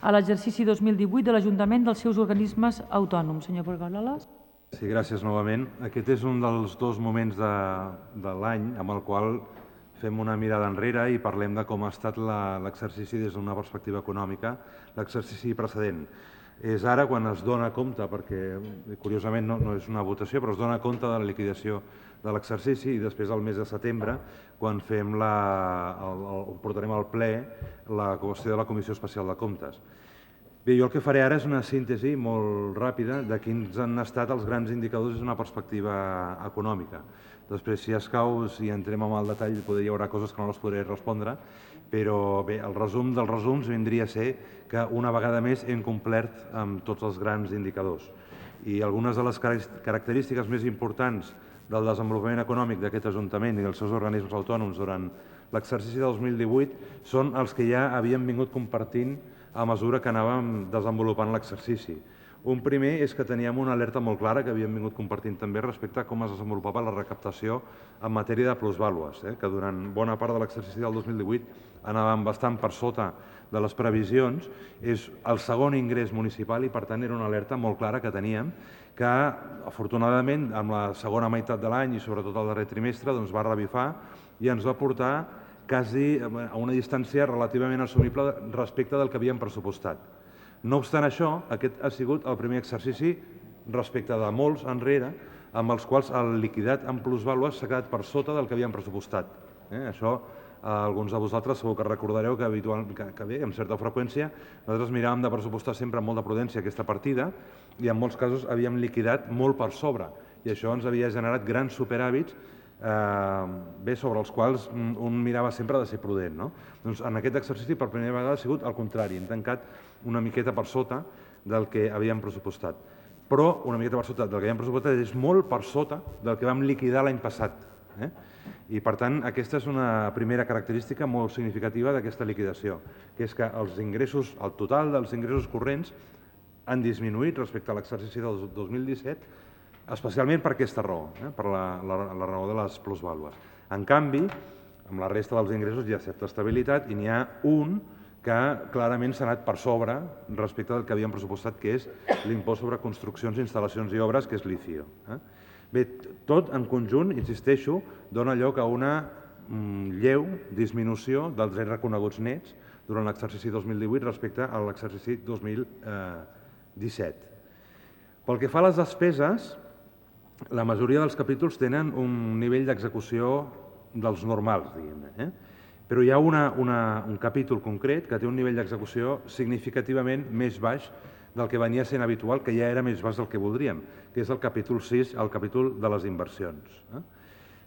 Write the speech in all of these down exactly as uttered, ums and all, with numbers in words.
a l'exercici dos mil divuit de l'Ajuntament dels seus organismes autònoms. Senyor Porgaloles. Sí, gràcies novament. Aquest és un dels dos moments de, de l'any amb el qual fem una mirada enrere i parlem de com ha estat l'exercici des d'una perspectiva econòmica, l'exercici precedent. És ara quan es dona compte, perquè curiosament no, no és una votació, però es dona compte de la liquidació de l'exercici i després al mes de setembre, quan fem la, el, el, portarem al ple la qüestió de la Comissió Especial de Comptes. Bé, jo el que faré ara és una síntesi molt ràpida de quins han estat els grans indicadors des d'una perspectiva econòmica. Després, si escau, si entrem en el detall, hi haurà coses que no les podré respondre, però bé, el resum dels resums vindria a ser que una vegada més hem complert amb tots els grans indicadors. I algunes de les característiques més importants del desenvolupament econòmic d'aquest Ajuntament i dels seus organismes autònoms durant l'exercici de dos mil divuit són els que ja havíem vingut compartint a mesura que anàvem desenvolupant l'exercici. Un primer és que teníem una alerta molt clara que havíem vingut compartint també respecte a com es desenvolupava la recaptació en matèria de plusvàlues, eh? que durant bona part de l'exercici del dos mil divuit anàvem bastant per sota de les previsions. És el segon ingrés municipal i, per tant, era una alerta molt clara que teníem que, afortunadament, amb la segona meitat de l'any i sobretot el darrer trimestre, doncs va revifar i ens va portar quasi a una distància relativament assumible respecte del que havíem pressupostat. No obstant això, aquest ha sigut el primer exercici respecte de molts enrere amb els quals el liquidat en plusvàlues s'ha quedat per sota del que havíem pressupostat. Eh? Això alguns de vosaltres segur que recordareu que, habitual, que, que bé, amb certa freqüència, nosaltres miràvem de pressupostar sempre amb molta prudència aquesta partida i en molts casos havíem liquidat molt per sobre i això ens havia generat grans superàvits eh, bé, sobre els quals un mirava sempre de ser prudent. No? Doncs en aquest exercici per primera vegada ha sigut el contrari, hem tancat una miqueta per sota del que havíem pressupostat. Però una miqueta per sota del que havíem pressupostat és molt per sota del que vam liquidar l'any passat. Eh? I, per tant, aquesta és una primera característica molt significativa d'aquesta liquidació, que és que els ingressos, el total dels ingressos corrents han disminuït respecte a l'exercici del dos mil disset, especialment per aquesta raó, eh? per la, la, la raó de les plusvàlues. En canvi, amb la resta dels ingressos hi ha certa estabilitat i n'hi ha un que clarament s'ha anat per sobre respecte del que havíem pressupostat, que és l'impost sobre construccions, instal·lacions i obres, que és l'I C I O. Eh? Bé, tot en conjunt, insisteixo, dona lloc a una mm, lleu disminució dels drets reconeguts nets durant l'exercici dos mil divuit respecte a l'exercici dos mil disset. Pel que fa a les despeses, la majoria dels capítols tenen un nivell d'execució dels normals, diguem-ne. Eh? Però hi ha una, una, un capítol concret que té un nivell d'execució significativament més baix del que venia sent habitual, que ja era més baix del que voldríem, que és el capítol sis, el capítol de les inversions. Eh?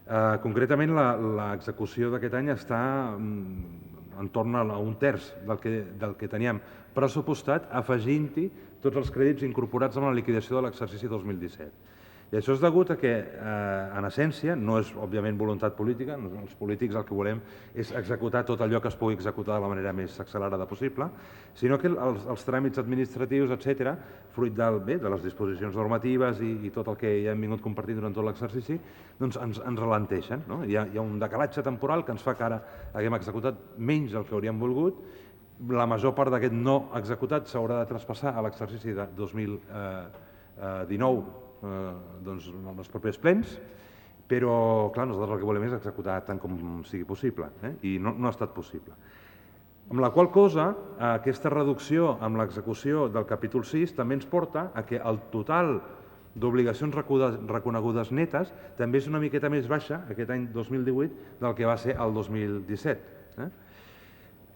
Eh, concretament, l'execució d'aquest any està mm, entorn a un terç del que, del que teníem pressupostat, afegint-hi tots els crèdits incorporats en la liquidació de l'exercici dos mil disset. I això és degut a que, eh, en essència, no és, òbviament, voluntat política, els polítics el que volem és executar tot allò que es pugui executar de la manera més accelerada possible, sinó que els, els tràmits administratius, etcètera, fruit del, bé, de les disposicions normatives i, i tot el que ja hem vingut compartint durant tot l'exercici, doncs ens, ens ralenteixen. No? Hi, ha, hi ha un decalatge temporal que ens fa que ara haguem executat menys del que hauríem volgut. La major part d'aquest no executat s'haurà de traspassar a l'exercici de dos mil dinou, Eh, doncs, en els propers plens, però clar, nosaltres el que volem és executar tant com sigui possible, eh? I no, no ha estat possible. Amb la qual cosa, aquesta reducció amb l'execució del capítol sis també ens porta a que el total d'obligacions reconegudes netes també és una miqueta més baixa aquest any dos mil divuit del que va ser el dos mil disset. Eh?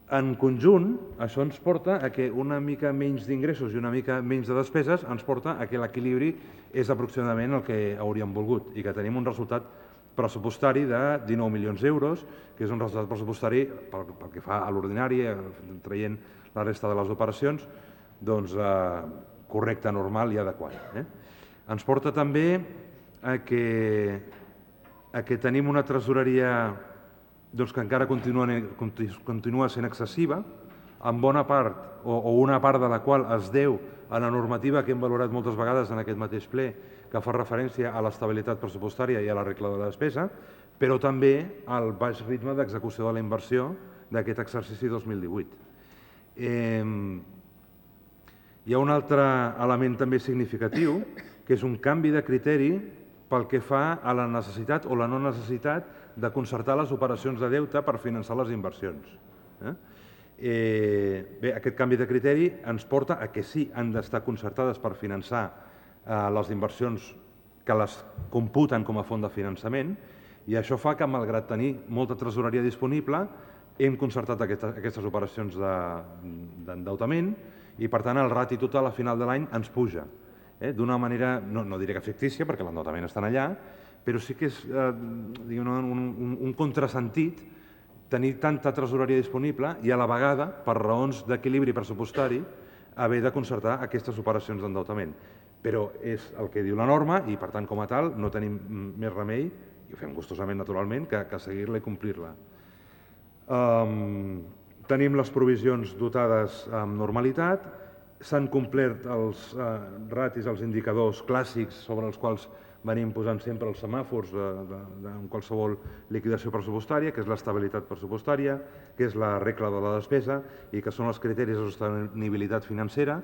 En conjunt, això ens porta a que una mica menys d'ingressos i una mica menys de despeses ens porta a que l'equilibri és aproximadament el que hauríem volgut i que tenim un resultat pressupostari de dinou milions d'euros, que és un resultat pressupostari pel, pel que fa a l'ordinari, traient la resta de les operacions, doncs eh, correcte, normal i adequat. Eh? Ens porta també a que, a que tenim una tresoreria doncs que encara continua, continua sent excessiva, en bona part o, o una part de la qual es deu a la normativa que hem valorat moltes vegades en aquest mateix ple, que fa referència a l'estabilitat pressupostària i a la regla de la despesa, però també al baix ritme d'execució de la inversió d'aquest exercici dos mil divuit. Eh, Hi ha un altre element també significatiu, que és un canvi de criteri pel que fa a la necessitat o la no necessitat de concertar les operacions de deute per finançar les inversions. Eh? Eh, bé, aquest canvi de criteri ens porta a que sí, han d'estar concertades per finançar eh, les inversions que les computen com a font de finançament, i això fa que, malgrat tenir molta tresoreria disponible, hem concertat aquestes, aquestes operacions d'endeutament i, per tant, el rati total a final de l'any ens puja. Eh? D'una manera, no, no diré que fictícia, perquè l'endeutament està allà, però sí que és eh, diguem, un, un, un contrasentit tenir tanta tresoreria disponible i, a la vegada, per raons d'equilibri pressupostari, haver de concertar aquestes operacions d'endeutament. Però és el que diu la norma i, per tant, com a tal, no tenim més remei, i ho fem gustosament, naturalment, que, que seguir-la i complir-la. Um, tenim les provisions dotades amb normalitat, s'han complert els uh, ratis, els indicadors clàssics sobre els quals venim posant sempre els semàfors de, de, de, en qualsevol liquidació pressupostària, que és l'estabilitat pressupostària, que és la regla de la despesa i que són els criteris de sostenibilitat financera,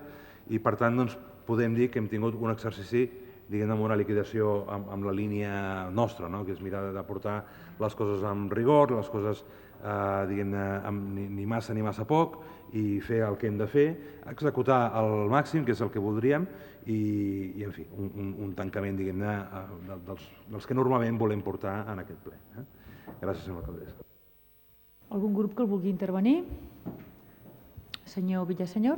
i per tant doncs, podem dir que hem tingut un exercici diguem, amb una liquidació amb, amb la línia nostra, no? Que és mirar de portar les coses amb rigor, les coses eh, diguem, amb ni, ni massa ni massa poc, i fer el que hem de fer, executar al màxim, que és el que voldríem, i, i en fi, un, un, un tancament diguem, de, dels, dels que normalment volem portar en aquest ple. Eh? Gràcies, senyora alcaldessa. Algun grup que el vulgui intervenir? Senyor Villasenyor.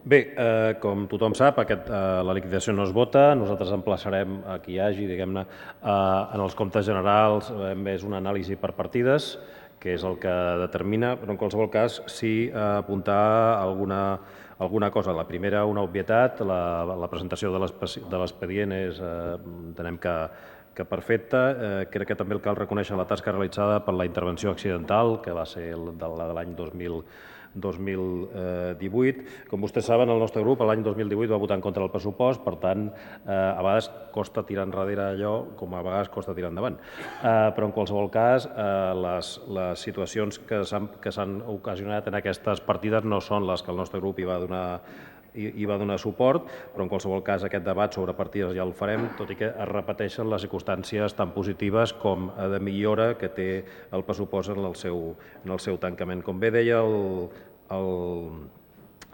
Bé, eh, com tothom sap, aquest, eh, la liquidació no es vota, nosaltres emplaçarem a qui hi hagi, diguem-ne, eh, en els comptes generals eh, és una anàlisi per partides, que és el que determina, però en qualsevol cas sí eh, apuntar alguna, alguna cosa. La primera, una obvietat, la, la presentació de l'expedient és, eh, entenem que, que perfecta. Eh, crec que també cal reconèixer la tasca realitzada per la intervenció accidental, que va ser de l'any dos mil dos mil divuit. Com vostès saben, el nostre grup l'any dos mil divuit va votar en contra del pressupost, per tant, eh, a vegades costa tirar enrere allò com a vegades costa tirar endavant. Eh, però en qualsevol cas, eh, les, les situacions que s'han ocasionat en aquestes partides no són les que el nostre grup hi va donar i va donar suport, però en qualsevol cas aquest debat sobre partides ja el farem, tot i que es repeteixen les circumstàncies tan positives com de millora que té el pressupost en el seu, en el seu tancament. Com bé deia el, el,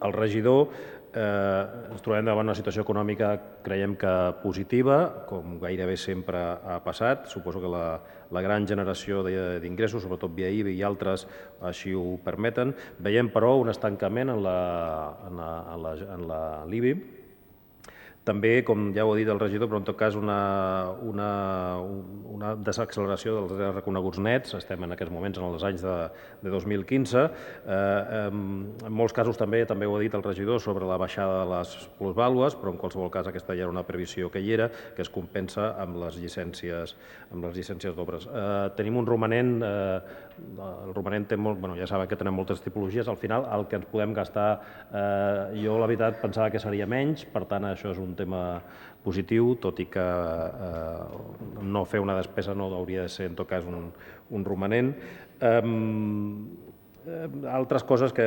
el regidor, eh, ens trobem davant una situació econòmica, creiem que positiva, com gairebé sempre ha passat. Suposo que la, la gran generació d'ingressos, sobretot via I B I i altres, així ho permeten. Veiem, però, un estancament en la, en la, en la, en la l'I B I. També, com ja ho ha dit el regidor, però en tot cas una, una, una desacceleració dels reconeguts nets. Estem en aquests moments en els anys de, de dos mil quinze. Eh, en molts casos també també ho ha dit el regidor sobre la baixada de les plusvàlues, però en qualsevol cas aquesta ja era una previsió que hi era, que es compensa amb les llicències amb les llicències d'obres. Eh, tenim un romanent, eh, el romanent té molt, bueno, ja saben que tenim moltes tipologies, al final el que ens podem gastar, eh, jo la veritat pensava que seria menys, per tant això és un tema positiu, tot i que eh, no fer una despesa no hauria de ser en tot cas un, un romanent. Eh, altres coses que,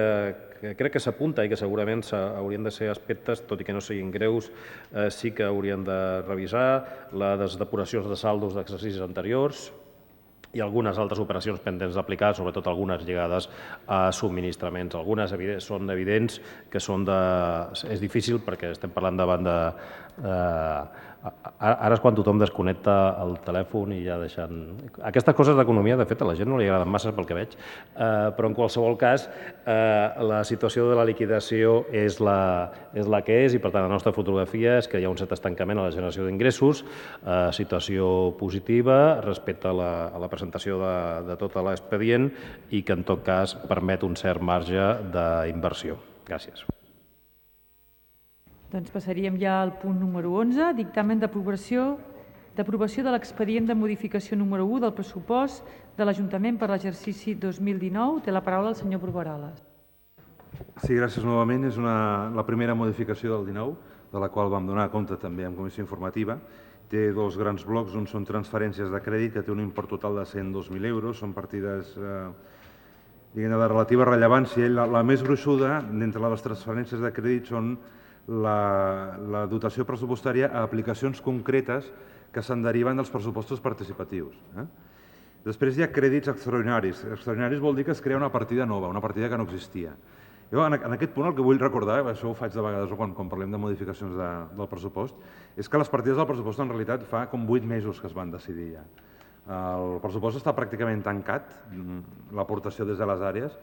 que crec que s'apunta i que segurament haurien de ser aspectes, tot i que no siguin greus, eh, sí que haurien de revisar les depuracions de saldos d'exercicis anteriors i algunes altres operacions pendents d'aplicar, sobretot algunes lligades a subministraments. Algunes són evidents que són de... És difícil perquè estem parlant davant de... Eh, ara és quan tothom desconnecta el telèfon i ja deixen... Aquestes coses d'economia, de fet, a la gent no li agraden massa pel que veig, eh, però en qualsevol cas eh, la situació de la liquidació és la, és la que és i, per tant, la nostra fotografia és que hi ha un cert estancament a la generació d'ingressos, eh, situació positiva respecte a la, a la presentació de, de tot l'expedient i que, en tot cas, permet un cert marge d'inversió. Gràcies. Doncs passaríem ja al punt número onze, dictamen d'aprovació d'aprovació de l'expedient de modificació número u del pressupost de l'Ajuntament per l'exercici dos mil dinou. Té la paraula el senyor Bruguerales. Sí, gràcies novament. És una, la primera modificació del dinou, de la qual vam donar compte també en comissió informativa. Té dos grans blocs. Un són transferències de crèdit, que té un import total de cent dos mil euros. Són partides eh, diguem, de relativa rellevància. La, la més gruixuda d'entre les transferències de crèdit són la, la dotació pressupostària a aplicacions concretes que se'n deriven dels pressupostos participatius. Eh? Després hi ha crèdits extraordinaris. Extraordinaris vol dir que es crea una partida nova, una partida que no existia. Jo, en, en aquest punt, el que vull recordar, això ho faig de vegades quan, quan parlem de modificacions de, del pressupost, és que les partides del pressupost en realitat fa com vuit mesos que es van decidir ja. El pressupost està pràcticament tancat, l'aportació des de les àrees,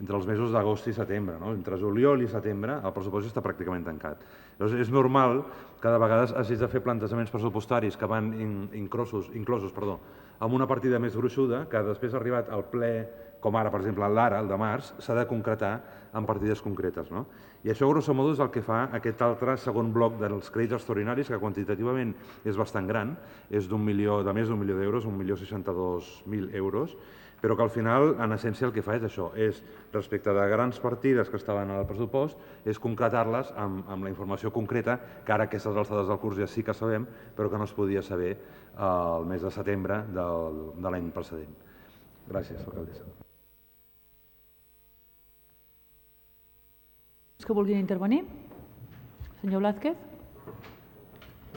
entre els mesos d'agost i setembre. No? Entre juliol i setembre el pressupost està pràcticament tancat. Llavors, és normal que de vegades hagis de fer plantejaments pressupostaris que van in, inclosos, inclosos perdó, amb una partida més gruixuda, que després ha arribat al ple, com ara, per exemple, l'ara, el de març, s'ha de concretar en partides concretes. No? I això, grosso modo, és el que fa aquest altre segon bloc dels crèdits extraordinaris, que quantitativament és bastant gran, és d'un milió, de més d'un milió d'euros, un milió seixanta-dos mil euros, però que al final, en essència, el que fa és això, és, respecte de grans partides que estaven al pressupost, és concretar-les amb, amb la informació concreta, que ara aquestes alçades del curs ja sí que sabem, però que no es podia saber el mes de setembre del, de l'any precedent. Gràcies, alcaldessa. Que vulguin intervenir? Senyor Blázquez?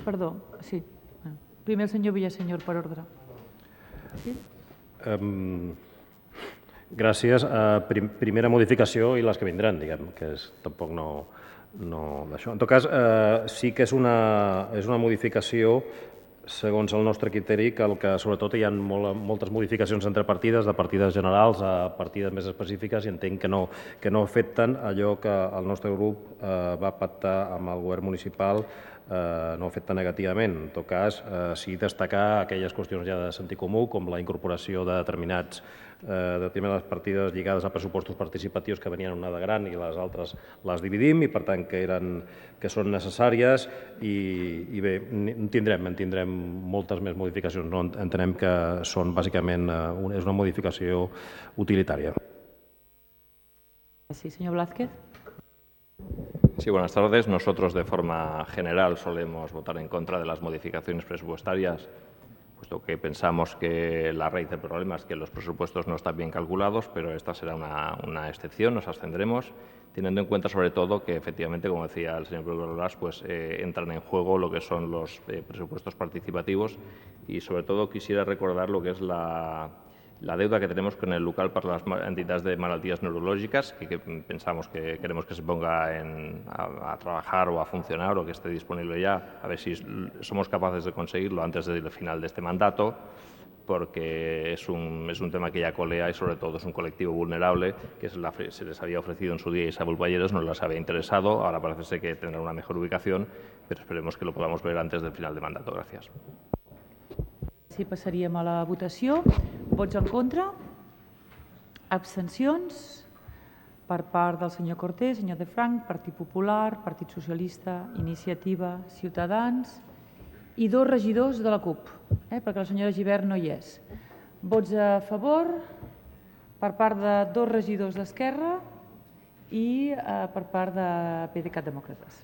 Perdó, sí. Primer el senyor Villasenyor, per ordre. Sí? Um, gràcies. Uh, prim, primera modificació i les que vindran, diguem, que és, tampoc no, no d'això. En tot cas, uh, sí que és una, és una modificació segons el nostre criteri, que el que sobretot hi ha molt, moltes modificacions entre partides, de partides generals a partides més específiques, i entenc que no, que no afecten allò que el nostre grup eh, va pactar amb el govern municipal, eh, no afecta negativament. En tot cas, eh, sí destacar aquelles qüestions ja de sentit comú, com la incorporació de determinats eh, determinades partides lligades a pressupostos participatius que venien una de gran i les altres les dividim, i per tant que, eren, que són necessàries, i, i bé, en tindrem, en tindrem moltes més modificacions. No? Entenem que són bàsicament eh, és una modificació utilitària. Sí, señor Blázquez. Sí, buenas tardes. Nosotros, de forma general, solemos votar en contra de las modificaciones presupuestarias, puesto que pensamos que la raíz del problema es que los presupuestos no están bien calculados, pero esta será una, una excepción, nos abstendremos, teniendo en cuenta sobre todo que efectivamente, como decía el señor Brugueras, pues eh, entran en juego lo que son los eh, presupuestos participativos, y sobre todo quisiera recordar lo que es la, la deuda que tenemos con el local para las entidades de malaltías neurológicas, que, que pensamos que queremos que se ponga en, a, a trabajar o a funcionar, o que esté disponible ya, a ver si somos capaces de conseguirlo antes del final de este mandato, porque es un, es un tema que ya colea, y sobre todo es un colectivo vulnerable que se, la, se les había ofrecido en su día Isabel Balleros, no les había interesado, ahora parece ser que tendrá una mejor ubicación, pero esperemos que lo podamos ver antes del final del mandato. Gracias. Sí, passaríem a la votació. Vots en contra? Abstencions? Per part del senyor Cortés, senyor De Franc, Partit Popular, Partit Socialista, Iniciativa, Ciutadans i dos regidors de la CUP, eh, perquè la senyora Gibert no hi és. Vots a favor per part de dos regidors d'Esquerra i eh, per part de PDeCAT Demòcrates.